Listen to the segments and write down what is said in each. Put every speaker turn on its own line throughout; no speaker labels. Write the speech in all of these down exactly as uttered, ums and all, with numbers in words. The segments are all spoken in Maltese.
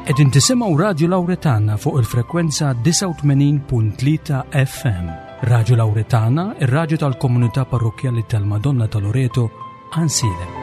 Qegħdin tisimgħu Radio Lauretana fuq il-frekwenza disgħa u tmenin punt tlieta F M. Radio Lauretana, ir-radju tal-komunità parrokkjali tal-Madonna ta' Loreto, Għajnsielem.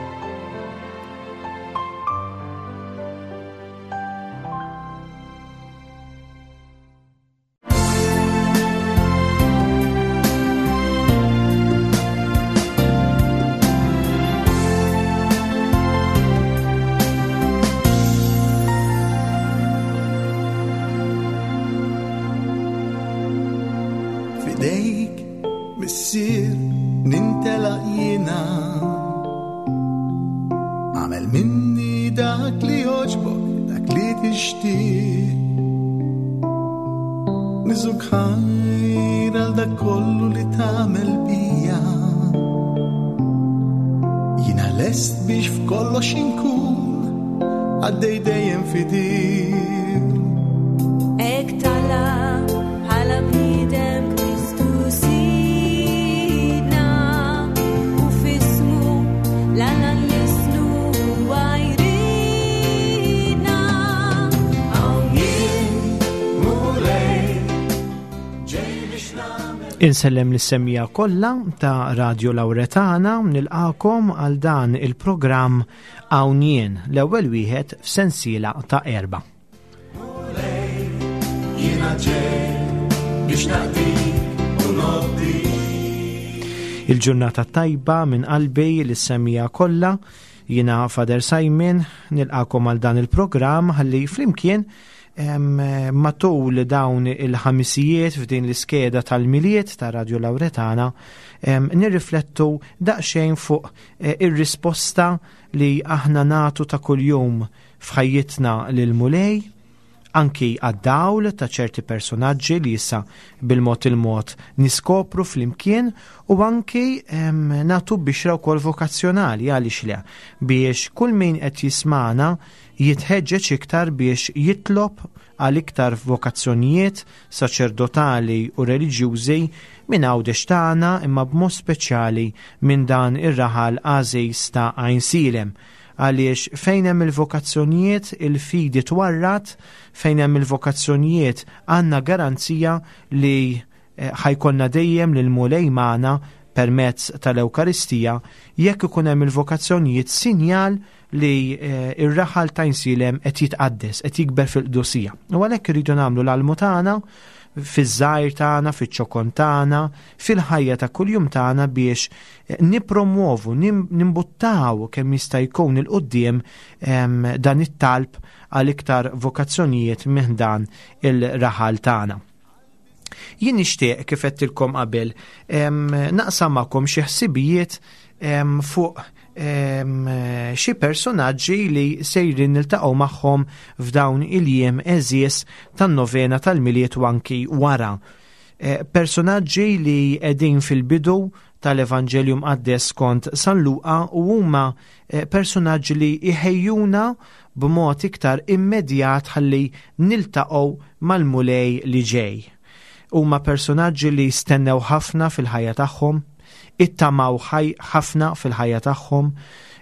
F'idejk, Missier, nintelaq jiena. Agħmel minni dak li jogħġbok, dak li tixtieq. Niżżuk ħajr għal dak kollu li tagħmel bija. Jiena lest biex f'kollox inkun qaddej dejjem fidil.
Hekk talab bħala bniedem Kristu Sidna u f'ismu 'l Alla nlissnu huwa jridna. Hawn jien,
Mulej, ġej biex nagħmel
Insellem lis-semmiegħa kollha ta' Radio Lauretana, nilqagħkom għal dan il-programm Hawn Jien, l-ewwel wieħed f'sensiela ta' erba.
Jiena ġej biex naqdik u nobdik.
Il-ġurnata tajba minn qalbi lis-semmiegħa kollha, jiena Father Simon, nilqagħkom għal dan il-programm ħalli flimkien em, matul dawn il-ħamisijiet f'din l-iskeda tal-Milied ta' Radio Lauretana em, nirriflettu daqsxejn fuq eh, ir-risposta li aħna nagħtu ta' kuljum f'ħajjitna lil Mulej, anki għad-dawl ta' ċerti personaġġi li issa bil-mod il-mod niskopru flimkien u anki em, nagħtu bixra wkoll vokazzjonali, għaliex le, biex kull min qed jismana jitħeġġeġ iktar biex jitlob għal iktar vokazzjonijiet saċerdotali u reliġjużi minn Għawdex tagħna, imma b'mod speċjali minn dan ir-raħal għażiż ta' Għajnsielem, għaliex fejn hemm il-vokazzjonijiet il-fidi twarrad, fejn hemm il-vokazzjonijiet għandna garanzija li eh, ħa jkollna dejjem lil Mulej magħna permezz tal-Ewkaristija. Jekk ikun hemm il-vokazzjonijiet, sinjal li eh, ir-raħal ta' Għajnsielem qed jitqaddes, qed jikber fil-qdusija. U għalhekk irridu nagħmlu l-almu tagħna fiż-żgħir tagħna, fiċ-ċokon tagħna, fil-ħajja ta' kuljum tagħna biex eh, nippromuovu, nim- nimbuttaw kemm jista' jkun 'il quddiem em, dan it-talb għal iktar vokazzjonijiet minn dan il-raħal tagħna. Jien nixtieq, kif għedtilkom qabel, em, naqsam magħkom xi ħsibijiet em, fuq em, xi personaġġi li sejrin niltaqgħu magħhom f'dawn il-jiem għeżież tan-novena tal-Milied u anki wara. Eh, Personaġġi li qegħdin fil-bidu tal-Evanġelju Mqaddes skont San Luqa u huma eh, personaġġi li iħejjuna b'mod iktar immedjat ħalli niltaqgħu mal-Mulej li ġej. Huma personaġġi li stennew ħafna fil-ħajja tagħhom, ittamaw ħaj ħafna fil-ħajja tagħhom,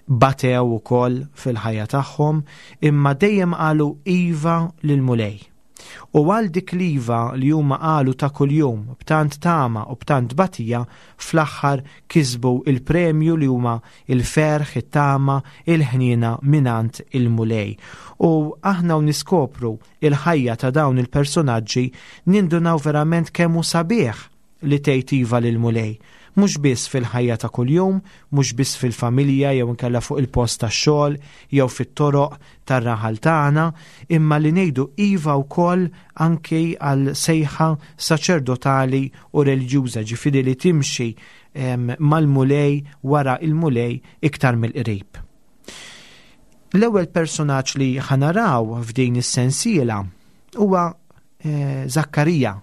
batew ukoll fil-ħajja tagħhom, imma dejjem qalu iva lil-Mulej. U għal dik l-iva li huma qalu ta' kuljum b'tant tama u b'tant batija, fl-aħħar kisbu il-premju li huma il-ferħ, it-tama, il-ħniena mingħand il-Mulej. U aħna u niskopru il-ħajja ta' dawn il-personaġġi nindunaw verament kemm hu sabiħ li tgħid iva lil-Mulej. Mhux biss fil-ħajja ta' kuljum, mhux biss fil-familja jew inkella fuq il-post tax-xogħol jew fit-toroq tar-raħal tagħna, imma li ngħidu iva wkoll anki għal sejħa saċerdotali u reliġjuża, ġifieri li timxi em, mal-Mulej, wara il-Mulej iktar mill-qrib. L-ewwel personaġġ li ħa naraw f'din is-sensiela huwa eh, Zakkarija,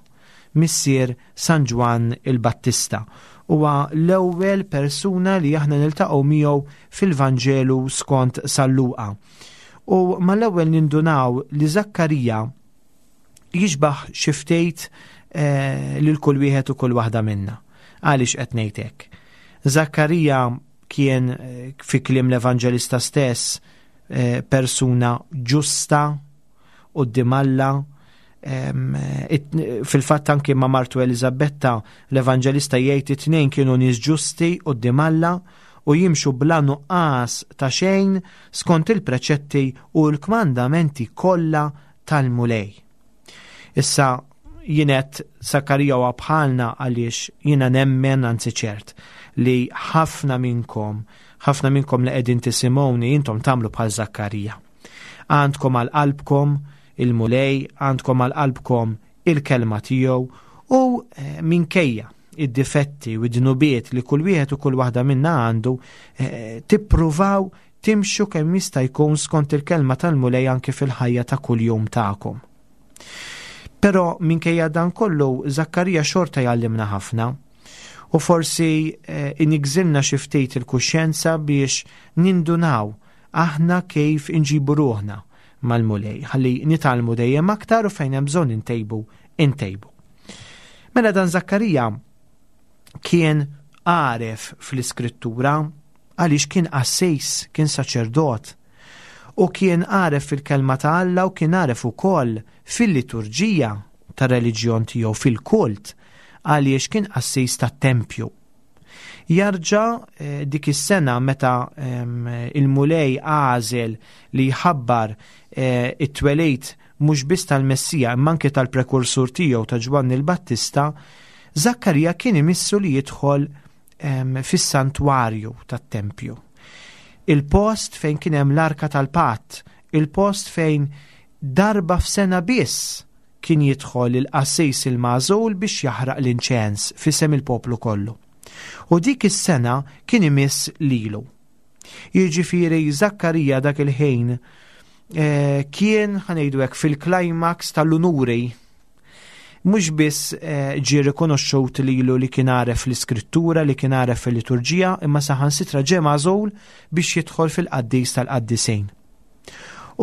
missier San Ġwann il-Battista. Huwa l-ewwel persuna li aħna niltaqgħu miegħu fil-Vanġelu skont San Luqa. U mal-ewwel nindunaw li Zakkarija jixbaħ xi ftit eh, lil kull wieħed u kull waħda minna. Għaliex qed ngħid hekk? Zakkarija kien eh, fi kliem l-Evanġelista stess eh, persuna ġusta quddiem Alla. Fil-fatt anki ma' martu Eliżabetta l-Evanġelista jgħid it-tnejn kienu nies ġusti quddiem Alla u jimxu bla nuqqas ta' xejn skont il-preċetti u l-kmandamenti kollha tal-Mulej. Issa jien għedt Zakkarija huwa bħalna għaliex jiena nemmen, anzi ċert, li ħafna minnkom, ħafna minnkom li qegħdin tisimgħuni intom tagħmlu bħal Zakkarija. Għandkom għal qalbkom il-Mulej, għandkom għal qalbkom il-kelma tiegħu u eh, minkejja id-difetti u id-dnubiet li kull wieħed u kull waħda minna għandu, eh, tippruvaw timxu kemm jista' jkun skont il-kelma tal-Mulej anke fil-ħajja ta' kuljum tagħkom. Però minkejja dan kollu Zakkarija xorta jgħallimna ħafna u forsi eh, inigżilna xi ftit il-kuxjenza biex nindunaw aħna kif inġibu ruħna mal-Mulej, ħalli nitgħallmu dejjem aktar u fejn hemm bżonn intejbu, intejbu. Mela dan Zakkarija kien għaref fl-iskrittura għaliex kien qassis, kien saċerdot, u kien għaref fil-kelma ta' Alla u kien għaref ukoll fil-liturġija tar-reliġjon tiegħu, fil-kult, għaliex kien qassis tat-tempju. Jarġa' eh, dik is-sena meta ehm, il-Mulej għażel li jħabbar eh, it-twelid mhux biss tal-Messija imma anke tal-prekursur tiegħu ta' Ġwanni l-Battista, Zakkarija kien imissu li jidħol ehm, fis-santwarju tat-tempju. Il-post fejn kien hemm l-arka tal-patt, il-post fejn darba f'sena biss kien jidħol il-qassis il-magħżul biex jaħraq l-inċens f'isem il-poplu kollu. U dik is-sena kien imiss lilu. Jiġifieri Zakkarija dak il-ħin eh, kien, ħa ngħidu hekk, fil-climax tal-unuri. Mhux biss eh, ġie rikonoxxut lilu li kien għaref l-iskrittura, li kien għaref fil-liturġija, imma saħansitra ġie magħżul biex jidħol fil-qaddis tal-qaddisin.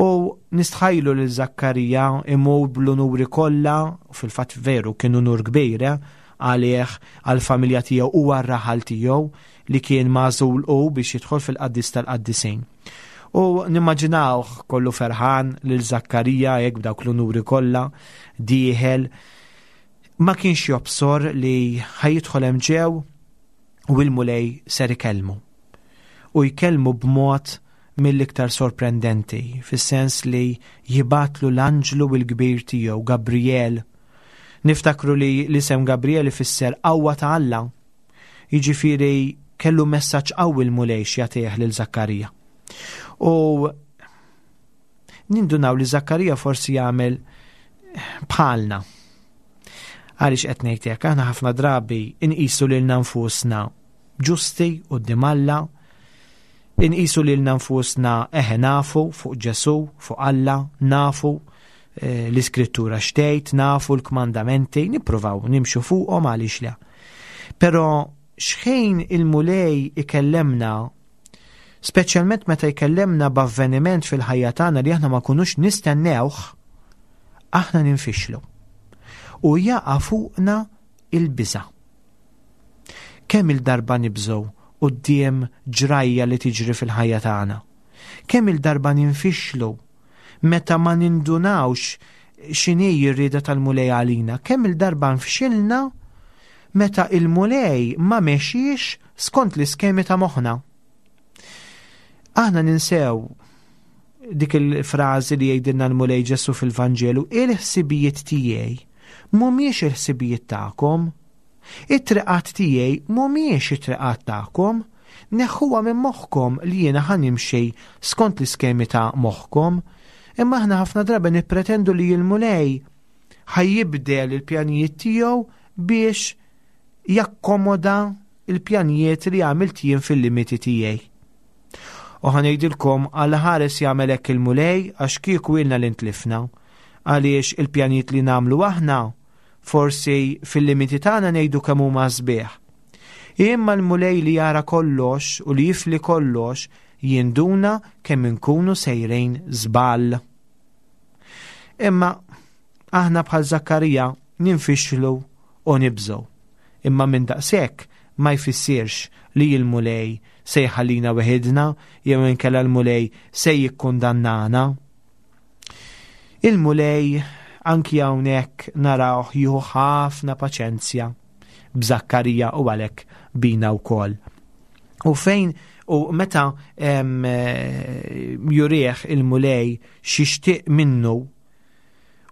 U nistħajlu lil Zakkarija imur bl-unuri kollha, u fil-fatt veru kien unur kbir, eh, għalih, għall-familja tiegħu u għar-raħal tiegħu li kien magħżul u biex jidħol fil-qaddis tal-qaddisin. U nimmaġinawh kollu ferħan lil Zakkarija hekk b'dawk l-unuri kollha dieħel, ma kienx jobsor li ħajidħol hemm ġew u l-Mulej ser ikellmu. U jkellmu b'mod mill-iktar sorprendenti, fis-sens li jibatlu l-anġlu l-kbir tiegħu, Gabriel. Niftakru li l-isem Gabriel ifisser qawwa ta' Alla. Jiġifieri kellu messaġġ qawwi l-Mulej x'jagħtih lil Zakkarija. U nindunaw li Zakkarija forsi jagħmel bħalna. Għaliex qed ngħid hekk, aħna ħafna drabi inqisu lilna nfusna ġusti quddiem Alla, inqisu lilna nfusna eħe nafu fuq Ġesù, fuq Alla, nafu, eh, l-iskrittura xtejt, nafu l-kmandamenti, nippruvaw nimxu fuqhom għaliex le. Però xħin il-Mulej ikellemna, speċjalment meta jkellemna b'avveniment fil-ħajja tagħna li aħna ma kunux nistennewh, aħna ninfixlu. U jaqa' fuqna il-biża'. Kemm il-darba nibżgħu quddiem ġrajja li tiġri fil-ħajja tagħna. Kemm il-darba ninfixlu meta ma nindunawx x'inhi r-rieda tal-Mulej għalina. Kemm il-darba nfxilna meta il-Mulej ma mexiex skont l-iskemi ta' moħħna. Aħna ninsew dik il-frażi li jgħidilna l-Mulej Ġesu fil-Vanġelu, il-ħsibijiet tiegħi mhumiex il-ħsibijiet tagħkom, it-triqat tiegħi mhumiex it-triqat tagħkom, neħħuha minn moħħkom li jiena ħa nimxi skont l-iskemi ta' moħħkom. Imma aħna ħafna drabi nippretendu li l-Mulej ħajjibdel il-pjanijiet tiegħu biex jakkomoda il-pjanijiet li għamilt jien fil-limiti tiegħi. U ħa ngħidilkom għal ħares jagħmel hekk il-Mulej għax kieku ilna li ntlifna, għaliex il-pjanijiet li nagħmlu aħna forsi fil-limiti tagħna ngħidu kemm huma sbieħ. Imma l-Mulej li jara kollox u li jifli kollox jinduna kemm inkunu sejrejn żball. Imma aħna bħal Zakkarija ninfixlu u nibżgħu. Imma minn daqshekk ma jfissirx li l-Mulej se jħallina weħidna jew inkella l-Mulej se jikkundannana. Il-Mulej anki hawnhekk narawh jieħu ħafna paċenzja b'Żakkarija u għalhekk bina wkoll. U fejn u meta jurih il-Mulej xixtieq minnu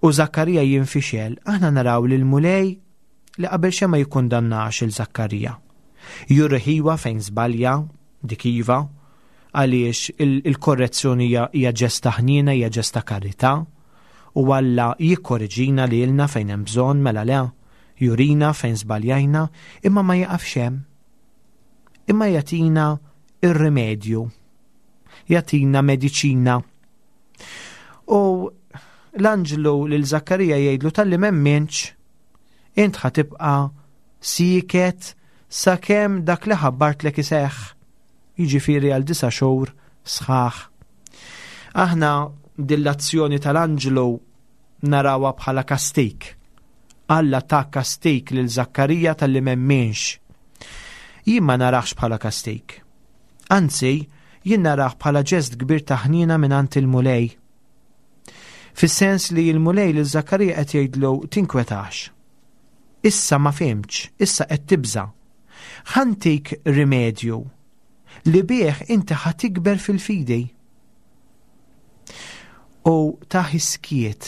u Żakkarija jinfixel, aħna naraw li l-Mulej li qabel xejn ma jikkundannax il Żakkarija. Juriħiwa fejn żbalja, dik iva, għaliex il-korrezzjoni hija ġesta ħniena, hija ġesta karità, u Alla jikkorreġina lilna fejn hemm bżonn, mela le, jurina fejn żbaljajna, imma ma jaqafx hemm. Imma jagħtina ir-rimedju, jagħtina mediċina. U l-anġlu lil Żakkarija jgħidlu talli m'emminx, int ħa tibqa' sieket sakemm dak li ħabbartlek iseħħ, jiġifieri għal disa' xhur sħaħ. Aħna dill-azzjoni tal-anġlu narawha bħala kastik. Alla ta' kastik lil Żakkarija talli m'emminx. Jien ma narax bħala kastik. Anzi, jien narah bħala ġest kbir ta' ħniena mingħand il-Mulej. Fis-sens li l-Mulej lil Żakkarija qed jgħidlu tinkwetax. Issa ma fhimtx, issa qed tibża'. Ħantik rimedju li bih inti ħa tikber fil-fidi. U ta' iskiet,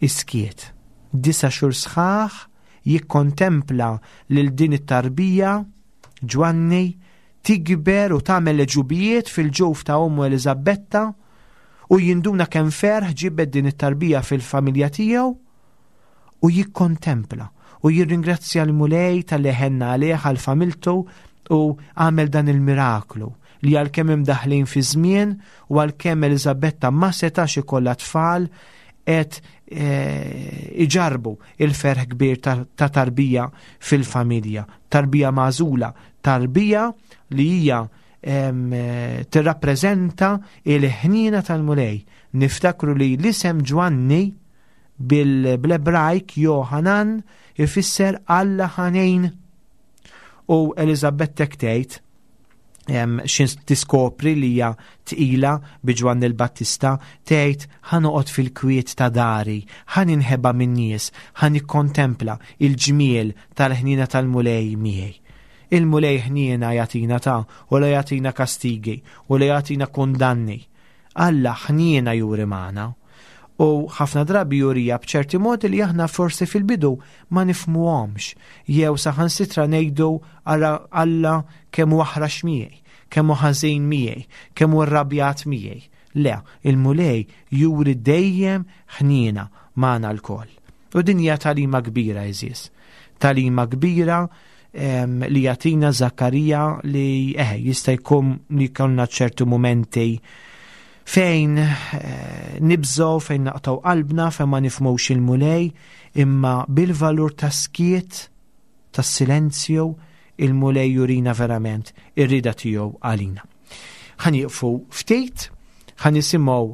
iskiet, disa' xhur sħaħ jikkontempla lil din it-tarbija Ġwanni tikber u tagħmel leġubijiet fil-ġuf ta' ommu Eliżabetta, u jinduna kemm ferħ ġibed din it-tarbija fil-familja tiegħu, u jikkontempla u jirringrazzja l-Mulej tal-li ħenna għalih għal familtu u għamel dan il-miraklu li għalkemm imdaħlin fi żmien u għalkemm Eliżabetta ma setax ikollha tfal qed iġarbu il-ferħ kbir ta' tarbija fil-familja, tarbija magħżula, tarbija li hija tirrappreżenta il-ħniena tal-Mulej. Niftakru li l-isem Ġwanni bil-Ebrajk Johanan ifisser Alla ħanejn. U Eliżabetta tgħid xin tiskopri li hija tqila bi Ġwanni l-Battista, tgħid ħa noqgħod fil-kwiet ta' dari, ħa ninħeba min-nies, ħa nikkontempla il-ġmiel tal-ħniena tal-Mulej miegħi. Il-Mulej ħniena jagħtina ta' u la jagħtina kastigi u la jagħtina kundanni. Alla ħniena juri magħna. U ħafna drabi jurija b'ċerti modi li aħna forsi fil-bidu ma nifhmuhomx, jew saħansitra ngħidu ara Alla kemm hu aħrax miegħi, kemm hu ħażin miegħi, kemm hu rrabjat miegħi. Le, il-Mulej juri dejjem ħniena magħna lkoll. U din hija tagħlima kbira, għeżież. Tagħlima kbira li jagħtina Żakkarija li eh, jista' jkun li jkollna ċertu mumenti fejn nibżgħu, fejn naqtgħu qalbna, fejn ma nifhmux il-Mulej, imma bil-valur ta' skiet, tas silenzju, il-Mulej jurina verament ir-rieda tiegħu għalina. Ħa nieqfu ftit, ħa nisimgħu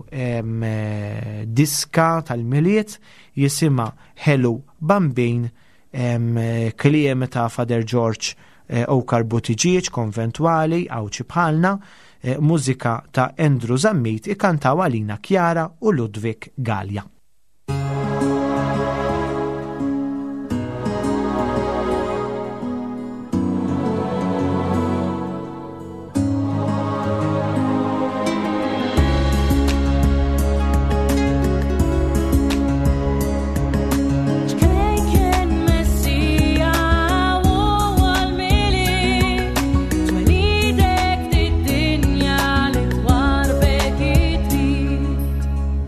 diska tal-Milied jisimha Ħelu Bambin, kliem ta' Father George Okar Buttigieg, konventwali, Għawdxi bħalna, mużika ta' Andrew Zammit, ikantaw għalina Chiara u Ludwig Gallia.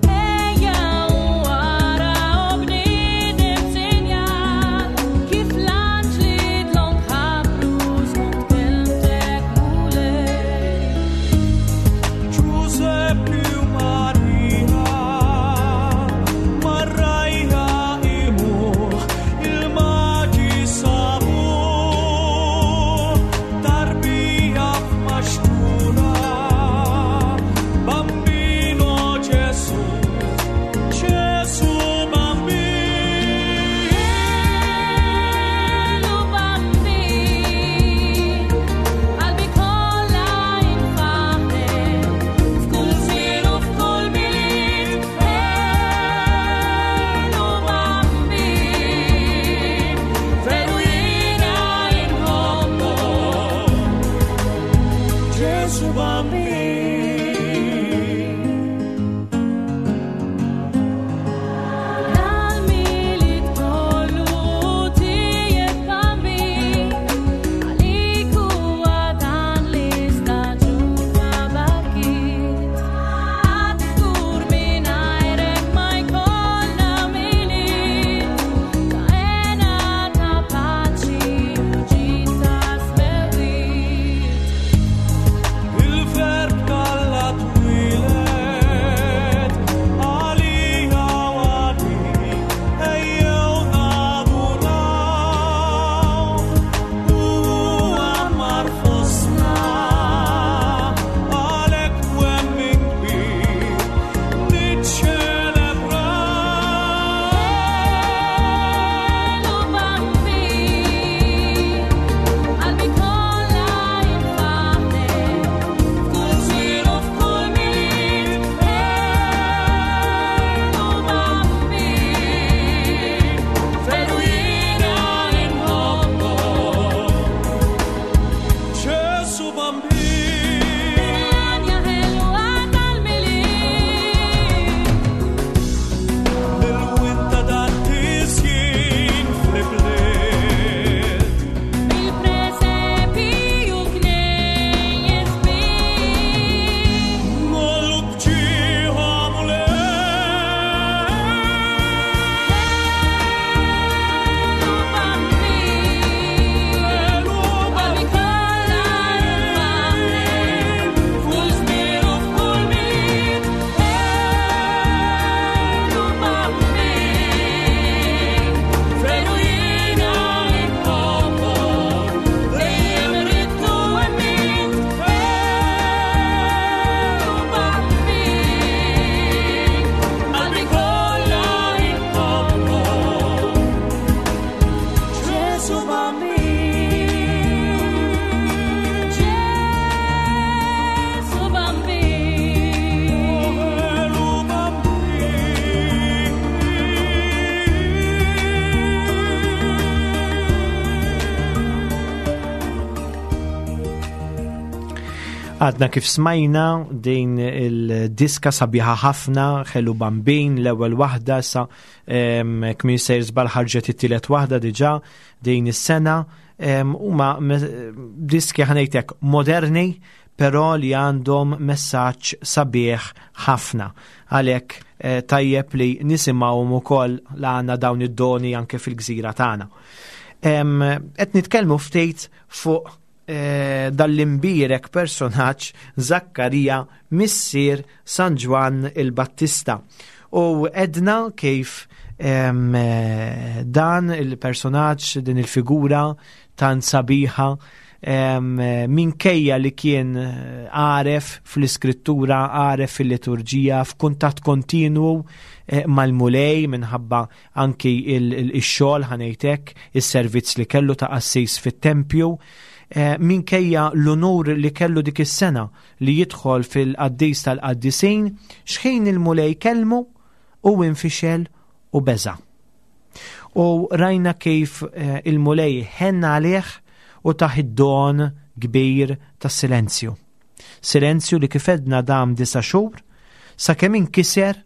Ejja
Bambin.
Dal-Milied kollu tiegħek Bambin, għalik huwa dan l-istaġun ta' barkiet. Għad żgur mingħajrek ma jkollna Milied, ta' hena ta' paċi u ġid ta' smewwiet.
Il-verb talla twieled, għalija u għalik, ejjew naduraw. U għammar fostna, għalhekk twemmin kbir, niċċelebraw.
Elu Bambin, qalbi kollha infaħħrek, f'kull żmien u f'kull Milied. Elu Bambin, veru jiena inħobbok.
Ġesu Bambin,
Għanja ħelwa tal-Milied.
il-winta dan tisjin fl-bliet.
Bil-presepi u knejjes kbir.
Nollu bġieħa mulej.
Elu Bambin, qalbi kollha infaħħrek, f'kull żmien u f'kull Milied. Elu Bambin, veru jiena inħobbok, dejjem ridt u emmint. Elu Bambin, qalbi kollha inħobbok. Ġesu Bambin, Ġesu Bambin.
Elu Bambin.
Għadna kif smajna din il-diska sabiħa ħafna, Ħelu Bambin, l-ewwel waħda sa kmin sejr żball ħarġet it-tielet waħda diġà din is-sena. Em, Huma me- diski ħanejtek moderni, però li għandhom messaġġ sabiħ ħafna. Għalhekk eh, tajjeb li nisimgħuhom ukoll la għandna dawn id-doni anke fil-gżira tagħna. Em, Qed nitkellmu ftit fuq eh, dal-imbierek personaġġ Zakkarija missier San Ġwann il-Battista. U edna kif em, eh, dan il-personaġġ, din il-figura tant sabiħa, em, eh, minkejja li kien eh, għaref fl-iskrittura, għaref fil-liturġija, f'kuntatt kontinwu eh, mal-Mulej minħabba anki il-xogħol ħanejtek, is-servizz li kellu ta' qassis fit-tempju, eh, minkejja l-unur li kellu dik is-sena li jidħol fil-qaddis tal-qaddisin, xħin il-Mulej kellmu u infixel u beża. U rajna kif eh, il-Mulej ħenna għalih u tah id-don kbir tas silenzju. Silenzju li kif għedna dam disa xhur sakemm inkiser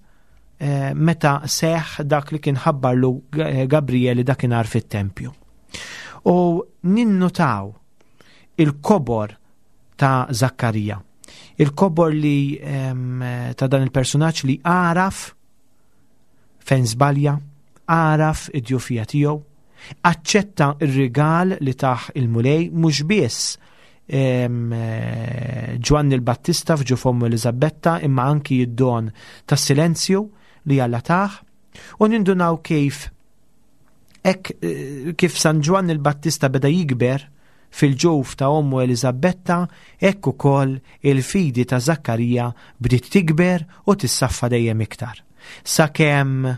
eh, meta seħ dak li kien ħabbarlu G- Gabrieli dakinhar fit-tempju. U ninnutaw il-kobor ta' Zakkarija. Il-kobor li em, ta' dan il-personaġġ li għaraf fejn żbalja, għaraf id-djufija tiegħu, aċċetta ir-rigal li tah il-Mulej mhux biss em, eh, Ġwanni l-Battista f'ġuf ommu Eliżabetta imma anki id-don tas-silenzju li Alla tah u nindunaw kif hekk eh, kif San Ġwanni l-Battista beda jikber fil-ġuf ta' ommu Eliżabetta, hekk ukoll il-fidi ta' Zakkarija bdiet tikber u tissaffa dejjem iktar. Sakemm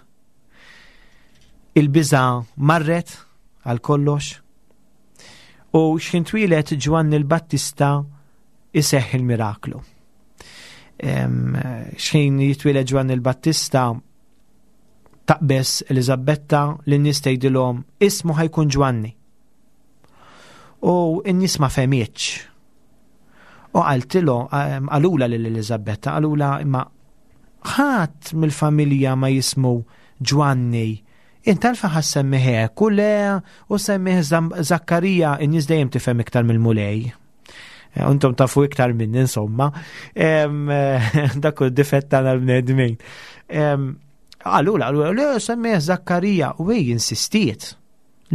il-biża marret għal kollox u x'ħin twieled Ġwanni l-Battista iseħħ il-miraklu. Em, X'ħin jitwieled Ġwanni l-Battista taqbeż Eliżabetta lin-nies tgħidilhom ismu ħa jkun Ġwanni. U n-nies ma fehmitx. U qaltilhom, qalulha lil Eliżabetta, qalulha imma ħadd mill-familja ma jismu Ġwanni. Int għalfejn ħa ssemmih hekk, u le, u semmih Zakkarija, in-nies dejjem tifhem iktar mill-Mulej. Intom tafu iktar minni, insomma. Dak hu d-difett tagħna l-bnedmin. Qalulha, qalulha, le, semmih Zakkarija, u hi insistiet.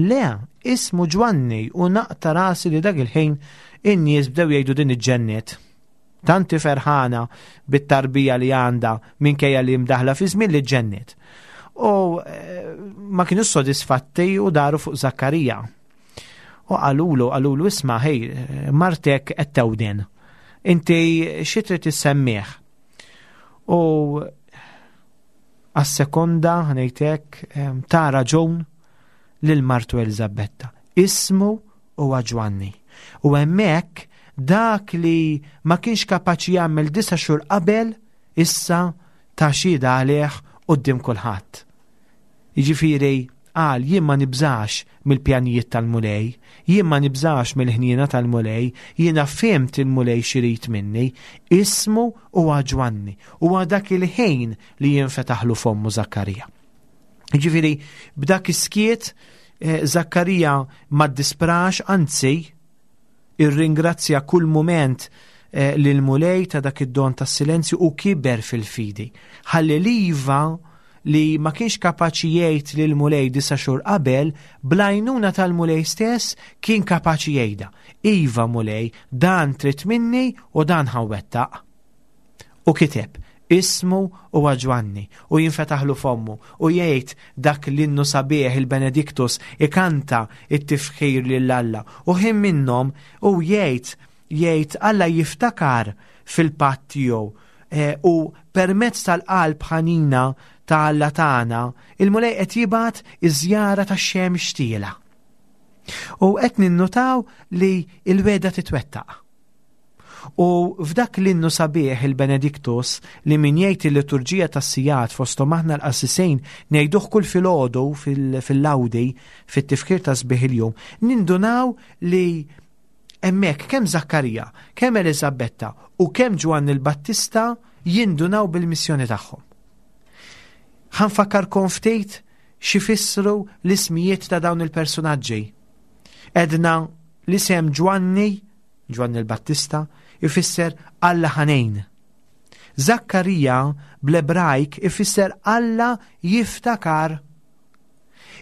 Le, ismu Ġwanni, u naqta' rasi li dak il-ħin in-nies bdew jgħidu din iġġenniet. Tanti ferħana bit-tarbija li għandha minkejja li mdaħla fi żmien li ġġenniet. U ma kienu sodisfatti u daru fuq Zakkarija. U qalulu, qalulu isma' ħej, martek qed tewden. Inti xi trid issemmih? U għas-sekonda ngħidlek ta raġun lil martu Eliżabetta. Ismu huwa Ġwanni. U hemmhekk dak li ma kienx kapaċi jagħmel disa' xhur qabel, issa ta xhieda għalih quddiem kulħadd. Jiġifieri qal jien ma nibżax mill-pjanijiet tal-Mulej, jien ma nibżax mill-ħniena tal-Mulej, jiena fhimt il-Mulej x'irid minni, ismu huwa Ġwanni, huwa dak il-ħin li jinfetaħlu fommu Zakkarija. Jiġifieri b'dak is-skiet Zakkarija ma ddisprax, anzi irringrazzja kull mument lil Mulej ta' dak id-don tas-silenzju u kiber fil-fidi. Ħalli l-iva li ma kienx kapaċi jgħid lil Mulej disa' xhur qabel, bl-għajnuna tal-Mulej stess kien kapaċi jgħidha. Iva Mulej, dan trid minni u dan ħa nwettaq. U kiteb, ismu huwa Ġwanni, u jinfetaħlu fommu, u jgħid dak l-innu sabiħ il-Benedictus, ikanta it-tifħir lil Alla. U ħin minnhom u jgħid, jgħid Alla jiftakar fil-patt tiegħu, u permezz tal-qalb ħanina ta' Alla tagħna, il-Mulej qed jibgħat iż-żjara tax-xemx tiela. U qed ninnutaw li l-wegħda titwettaq. U f'dak l-innu sabiħ il-Benedictus li min jgħid il-liturġija tas-sigħat fosthom aħna l-qassisejn ngħiduh kull filgħodu fil-lawdi fit-tifkir ta' sbieħ il-jum, nindunaw li hemmhekk kemm Zakkarija, kemm Eliżabetta u kemm Ġwanni l-Battista jindunaw bil-missjoni tagħhom. Ħa nfakkarkom ftit x'ifissru l-ismijiet ta' dawn il-personaġġi. Edna l-isem Ġwanni, Ġwanni l-Battista, ifisser Alla ħanin. Zakkarija bl-Ebrajk ifisser Alla jiftakar.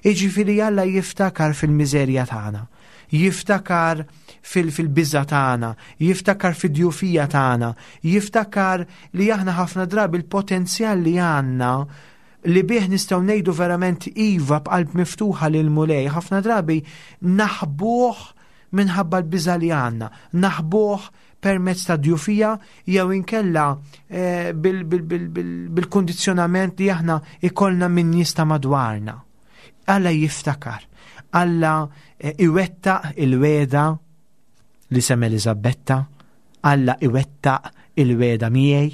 Jiġifieri Alla jiftakar fil-miżerja tagħna, jiftakar fil-biża tagħna, jiftakar fid-djufija tagħna, jiftakar li aħna ħafna drabi l-potenzjal li għandna li bih nistgħu ngħidu verament iva b'qalb miftuħa lil Mulej, ħafna drabi naħbuh minħabba l-biża li għandna, naħbuh permezz ta' djufija jew inkella bil-kundizzjonament li aħna ikollna minn nies ta' madwarna. Alla jiftakar, Alla iwettaq il-wegħda li sem Eliżabetta, Alla iwettaq il-wegħda miegħi,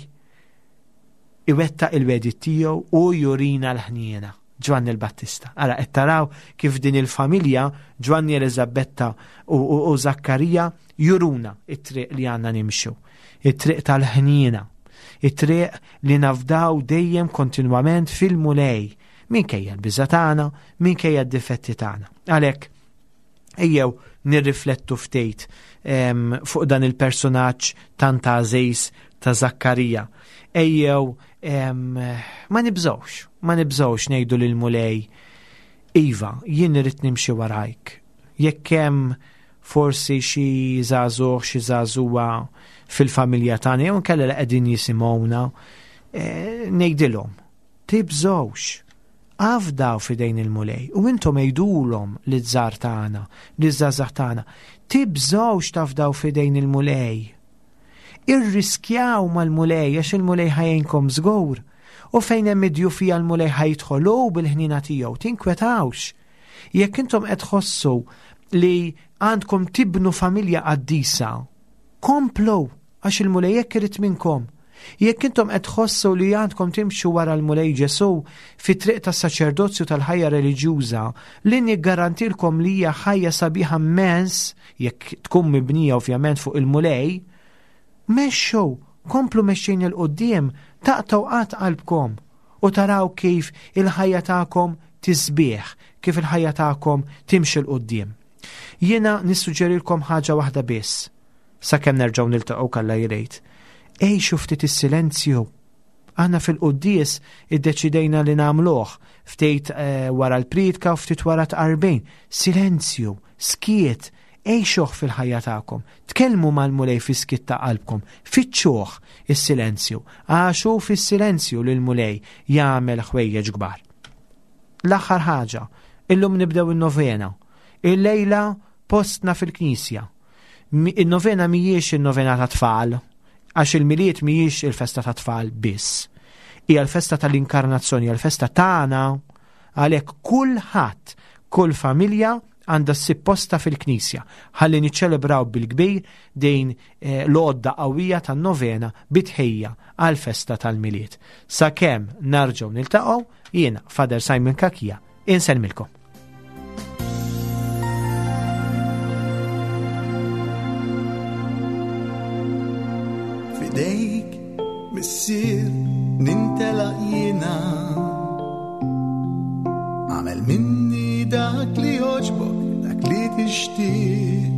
iwettaq il-wegħdi tiegħu u jurina l-ħniena. Ġwanni l-Battista. Ara, qed taraw kif din il-familja, Ġwanni, Eliżabetta u, u, u Zakkarija, juruna it-triq li għandna nimxu, it-triq tal-ħniena, it-triq li nafdaw dejjem kontinwament fil-Mulej, minkejja l-biża tagħna, minkejja d-difetti tagħna. Għalhekk ejjew nirriflettu ftit fuq dan il-personaġġ tant għażiż ta' Zakkarija. Ejjew ma nibżgħux, ma nibżgħux ngħidu lil Mulej, iva, jien irrid nimxi warajk. Jekk hemm forsi xi żagħżugħ, xi żagħżugħa fil-familja tagħna jew inkella li qegħdin jisimgħuna, ngħidilhom, tibżgħux, afdaw f'idejn il-Mulej. U intom għidulhom liż-żgħar tagħna, liż-żgħażagħ tagħna, tibżgħux tafdaw f'idejn il-Mulej. Irriskjaw mal-Mulej għax il-Mulej ħa jgħinkom żgur. U fejn hemm id-djufija l-Mulej ħa jidħol hu bil-ħniena tiegħu, tinkwetawx. Jekk intom qed tħossu li għandkom tibnu familja qaddisa, komplu għax il-Mulej jekk irid minnkom. Jekk intom qed tħossu li għandkom timxu wara l-Mulej Ġesu fit-triq tas-saċerdozju tal-ħajja reliġjuża, li niggarantilkom li hija ħajja sabiħa immens, jekk tkun mibnija ovvjament fuq il-Mulej, Mexxu, komplu mexxin 'il quddiem, taqtgħu qatt qalbkom u taraw kif il-ħajja tagħkom tisbieħ, kif il-ħajja tagħkom timxi 'l quddiem. Jiena nissuġġerilkom ħaġa waħda biss, sakemm nerġgħu niltaqgħu kalla jrejt. Għixu ftit is-silenzju. Aħna fil-quddies iddeċidejna li nagħmluh ftit eh, wara l-priedka u ftit wara tqarbin. Silenzju, skiet, għixuh fil-ħajja tagħkom. Tkellmu mal-Mulej fis-skiet ta' qalbkom, fittxuh is-silenzju, għax hu fis-silenzju li l-Mulej jagħmel ħwejjeġ kbar. L-aħħar ħaġa, illum nibdew in-novena. Illejla postna fil-knisja. Il-novena mhijiex il-novena ta' tfal, għax il-Milied mhijiex il-festa ta' tfal biss. Hija l-festa tal-inkarnazzjoni, hija l-festa tagħna, għalhekk kulħadd, kull familja għandha ssib posta fil-knisja ħalli niċċelebraw bil-kbir din eh, l-għodda qawwija tan-novena bitħejja għal-festa tal-Milied. Sakemm narġgħu niltaqgħu, jiena Father Simon Cachia insellmilkom.
F'idejk, Missier, nintelaq jiena. Għamel minni dak li jogħġbok, dak li tixtieq.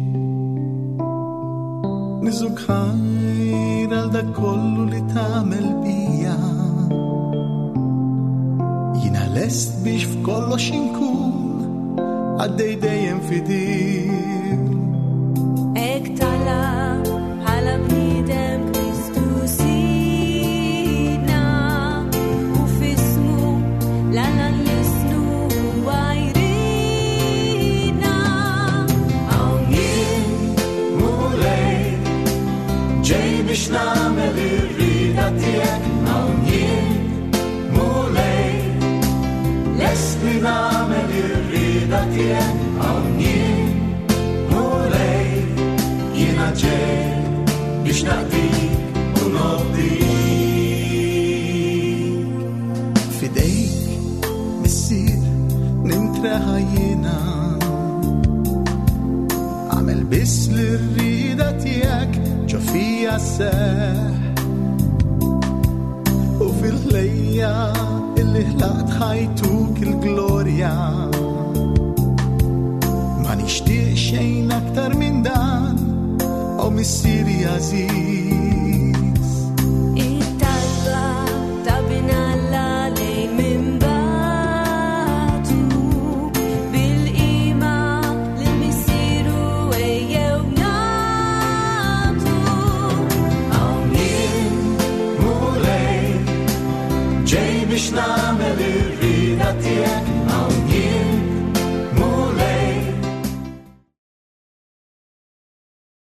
Niżżuk ħajr għal dak kollu li tagħmel bija. Jiena lest biex f'kollox inkun għaddej dejjem fidil.
Hekk talab bħala bniedem Kristu Sidna, u f'ismu l-Alla nlissnu huwa jridna.
Hawn jien, Mulej, ġej biex nagħmel ir-rieda tiegħek. Hawn jien, Mulej, lest li nagħmel ir-rieda tiegħek. Hawn jien, Mulej, jiena ġej biex naqdik u nobdik. F'idejk, Missier, nintreħa jiena. Għamel biss li r-rieda tiegħek ġo fija sseħħ. U fil-ħlejja illi ħlaqt ħajtuk il-glorja. Ma nixtieq xejn aktar minn dan, o Missieri għażiż.